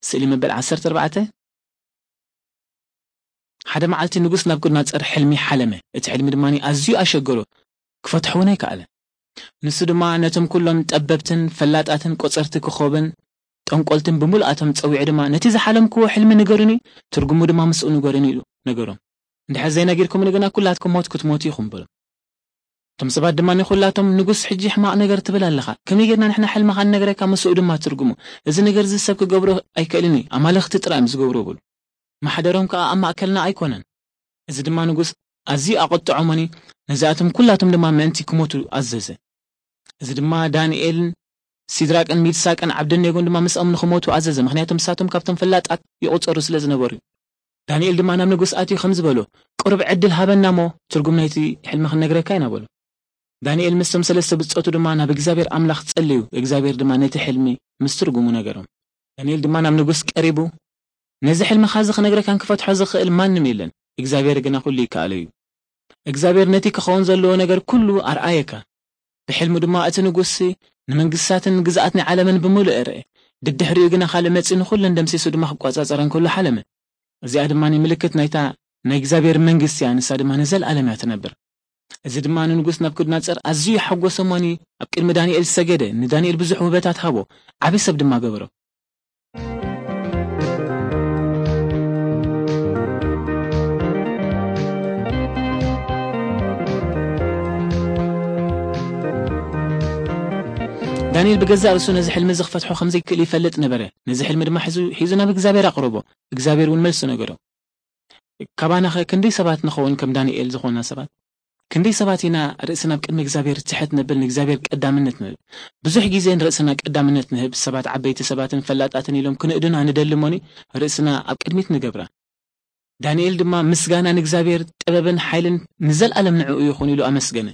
ስእሊ መበል ዓሰርተ ኣርባዕተ። ሓደ መዓልቲ ንጉስ ናቡከደነጾር ሕልሚ ሓለመ። እቲ ሕልሚ ድማ ኣዝዩ ኣሸገሮ፣ ክፈትሖ እውን ኣይከኣለ። ንሱ ድማ ነቶም ኩሎም ጠበብትን ፈላጣትን ቆጸርቲ ኮኾብን ጠንቆልትን ብምልኣቶም ጸዊዑ ድማ፣ "ነቲ ዝሓለምክዎ ሕልሚ ንገሩኒ፣ ትርጉሙ ድማ ምስኡ ንገሩኒ" ኢሉ ነገሮም። "እንድሕር ዘይነጊርኩምኒ ግና ኩላትኩም ሞት ክትሞቱ ኢኹም" በሎም። እቶም ሰባት ድማ ንኹላቶም፣ "ንጉስ፣ ሕጂ ሕማቕ ነገር ትብል ኣለኻ። ከመይ ጌርና ንሕና ሕልምኻ ንነግረካ፣ ምስኡ ድማ ትርጉሙ? እዚ ነገር እዚ ሰብ ክገብሮ ኣይክእልን እዩ፣ ኣማልኽቲ ጥራይ እዮም ዝገብርዎ" በሉ። "ማሕደሮም ከኣ ኣብ ማእከልና ኣይኮነን።" እዚ ድማ ንጉስ ኣዝዩ ኣቖጥዖ እሞኒ፣ ነዚኣቶም ኩላቶም ድማ ምእንቲ ክሞቱ ኣዘዘ። እዚ ድማ ዳንኤልን ሲድራቅን ሚድሳቅን ዓብደኔጎን ድማ ምስኦም ንኽሞቱ ኣዘዘ፣ ምኽንያቱ ንሳቶም ካብቶም ፈላጣት ይቑጸሩ ስለ ዝነበሩ እዩ። ዳንኤል ድማ ናብ ንጉስ ኣትዩ ከምዚ በሎ፣ "ቁሩብ ዕድል ሃበና እሞ ትርጉም ናይቲ ሕልሚ ክንነግረካ ኢና" በሎ። ዳንኤል ምስቶም ሰለስተ ብጾቱ ድማ ናብ እግዚኣብሔር ኣምላኽ ጸለዩ፣ እግዚኣብሔር ድማ ነቲ ሕልሚ ምስ ትርጉሙ ነገሮም። ዳንኤል ድማ ናብ ንጉስ ቀሪቡ፣ "ነዚ ሕልምኻ እዚ ክነግረካን ክፈትሖ ዝኽእል ማንም የለን፣ እግዚኣብሔር ግና ኩሉ ይከኣሎ እዩ። እግዚኣብሔር ነቲ ክኸውን ዘለዎ ነገር ኩሉ ኣርኣየካ። ብሕልሙ ድማ እቲ ንጉስሲ ንመንግስታትን ግዝኣት ናይ ዓለምን ብምሉእ ርአ። ድድሕሪኡ ግና ካልእ መጺኡ ንኹለን ደምሲሱ ድማ ክቆጻጸረን ከሎ ሓለመ። እዚኣ ድማ ምልክት ናይታ ናይ እግዚኣብሔር መንግስቲ እያ፣ ንሳ ድማ ንዘለኣለም እያ ትነብር." እዚ ድማ ንንጉስ ናቡከደነጾር ኣዝዩ ሓጎሰ እሞኒ፣ ኣብ ቅድሚ ዳንኤል ሰገደ፣ ንዳንኤል ብዙሕ ውህበታት ሃቦ፣ ዓቢ ሰብ ድማ ገበሮ። ዳንኤል ብገዛእ ርእሱ ነዚ ሕልሚ እዚ ክፈትሖ ከም ዘይክእል ይፈልጥ ነበረ። ነዚ ሕልሚ ድማ ሒዙ፣ ሒዙ ናብ እግዚኣብሔር ኣቕረቦ። እግዚኣብሔር እውን መልሱ ነገሮ። ካባናኸ ክንደይ ሰባት ንኸውን ከም ዳንኤል ዝኾንና ሰባት? ክንደይ ሰባት ኢና ርእስና ኣብ ቅድሚ እግዚኣብሔር ትሕት ነብል፣ ንእግዚኣብሔር ቀዳምነት ንህብ? ብዙሕ ግዜ ንርእስና ቀዳምነት ንህብ፣ ሰባት ዓበይቲ ሰባትን ፈላጣትን ኢሎም ክንእዱና ንደሊ እሞኒ፣ ርእስና ኣብ ቅድሚት ንገብራ። ዳንኤል ድማ፣ "ምስጋና ንእግዚኣብሔር፣ ጥበብን ሓይልን ንዘለኣለም ንዕኡ ይኹን" ኢሉ ኣመስገነ።